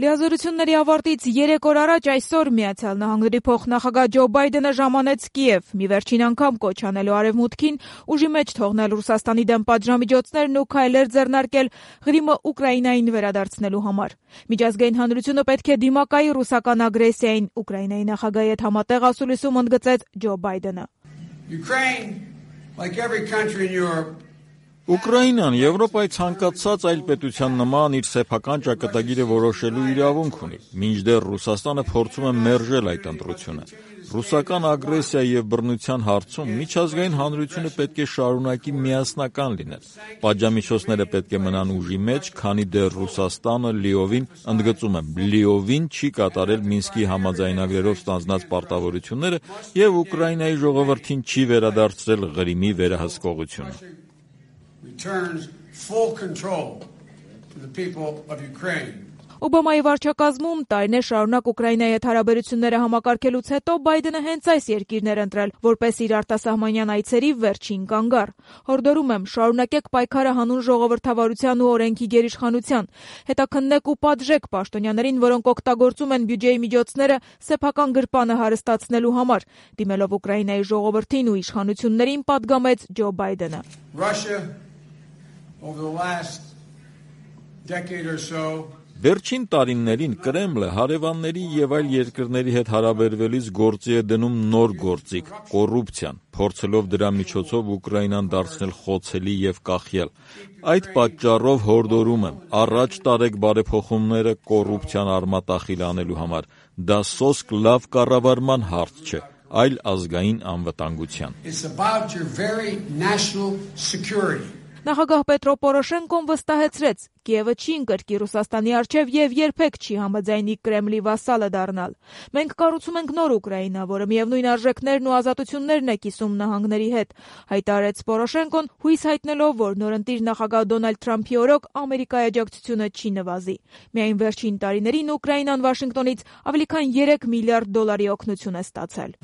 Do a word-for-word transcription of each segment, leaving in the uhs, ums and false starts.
Լիազորությունների ավարտից երեք օր առաջ այսօր Միացյալ Նահանգների փոխնախագահ Ջո Բայդենը ժամանեց Կիև, մի վերջին անգամ կոչ անելու Արևմուտքին ուժի մեջ թողնել Ռուսաստանի դեմ պատժամիջոցներն ու քայլեր ձեռնարկել Ղրիմը Ուկրաինային վերադարձնելու համար։ Միջազգային հանրությունը պետք է դիմակայի ռուսական ագրեսիային, Ուկրաինայի նախագահի հետ համատեղ ասուլիսում ընդգծեց Ջո Բայդենը։ Ուկրաինան Եվրոպայի ցանկացած այլ պետության նման իր սեփական ճակատագիրը որոշելու իրավունք ունի, մինչդեռ Ռուսաստանը փորձում է մերժել այդ ընտրությունը։ Ռուսական ագրեսիա եւ բռնության հարցում միջազգային հանրությունը պետք է շարունակի միասնական լինել։ Պատժամիջոցները պետք է մնան ուժի մեջ, քանի դեռ Ռուսաստանը լիովին, ընդգծում եմ, լիովին չի կատարել Մինսկի համաձայնագրերով ստանձնած պարտավորությունները եւ Ուկրաինայի ժողովրդին չի վերադարձրել Ղրիմի վերահսկողությունը։ Returns full control to the people of Ukraine. Օբամայի վարչակազմում տարիներ շարունակ Ուկրաինայի հետ հարաբերությունները համակարգելուց հետո Բայդենը հենց այս երկիրն էր ընտրել որպես իր արտասահմանյան այցերի վերջին կանգառ։ Հորդորում եմ, շարունակեք պայքարը հանուն ժողովրդավարության ու օրենքի գերիշխանության։ Հետաքննեք ու պատժեք պաշտոնյաներին, որոնք օգտագործում են բյուջեի միջոցները սեփական գրպանը հարստացնելու համար, դիմելով Ուկրաինայի ժողովրդին ու իշխանություններին պատգամեց Ջո Բայդենը։ Russia over the last decade or so Վերջին տարիներին Կրեմլը հարևանների եւ այլ երկրների հետ հարաբերվելիս գործի է դնում նոր գործիք՝ կոռուպցիան, փորձելով դրա միջոցով Ուկրաինան դարձնել խոցելի եւ կախյալ։ Այդ պատճառով հորդորում եմ, առաջ տարեք բարեփոխումները կոռուպցիան արմատախիլ անելու համար։ Դա սոսկ լավ կառավարման հարց չէ, այլ ազգային անվտանգության։ It's about your very national security. Նախագահ Պետրո Պորոշենկոն վստահեցրեց, Կիևը չի ընկրկի Ռուսաստանի առջև եւ երբեք չի համաձայնի Կրեմլի վասալը դառնալ։ Մենք կառուցում ենք նոր Ուկրաինա, որը միևնույն արժեքներն ու ազատություններն է կիսում նահանգների հետ, հայտարարեց Պորոշենկոն, հույս հայտնելով, որ նորընտիր նախագահ Դոնալդ Թրամփի օրոք Ամերիկայի աջակցությունը չի նվազի։ Միայն վերջին տարիներին Ուկրաինան Վաշինգտոնից ավելի քան երեք միլիարդ դոլարի օգնություն է ստացել։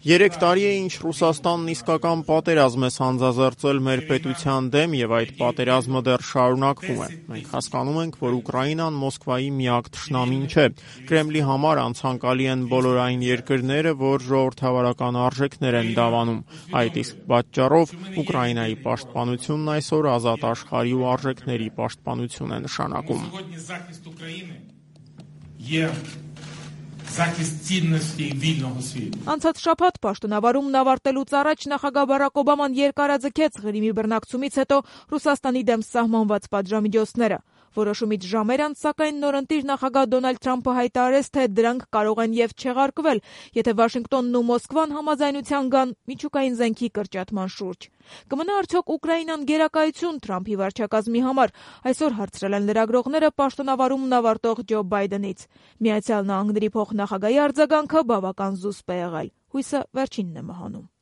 Երեք տարի է, ինչ Ռուսաստանն իսկական պատերազմ է սանձազերծել մեր պետության դեմ եւ այդ պատերազմը դեռ շարունակվում է։ Մենք հասկանում ենք, որ Ուկրաինան Մոսկվայի միակ թշնամին չէ։ Կրեմլի համար անցանկալի են բոլոր այն երկրները, որ ժողովրդավարական արժեքներ են դավանում։ Այդ իսկ պատճառով Ուկրաինայի պաշտպանությունն այսօր ազատ աշխարհի ու արժեքների պաշտպանություն է նշանակում։ Անցած շաբաթ պաշտոնավարումն ավարտելուց առաջ նախագահ Բարակ Օբաման երկարաձգեց Ղրիմի բռնակցումից հետո Ռուսաստանի դեմ սահմանված պատժամիջոցները։ Որոշումից ժամեր անց, սակայն նորընտիր նախագահ Դոնալդ Թրամփը հայտարարեց, թե դրանք կարող են եւ չեղարկվել, եթե Վաշինգտոնն ու Մոսկվան համաձայնության գան միջուկային զենքի կրճատման շուրջ։ Կմնա արդյոք Ուկրաինան գերակայություն Թրամփի վարչակազմի համար, այսօր հարցրել են լրագրողները պաշտոնավարումն ավարտող Ջո Բայդենից։ Միացյալ Նահանգների փոխնախագահի արձագանքը բավական զուսպ է եղել։ Հույսը վերջինն է մահանում։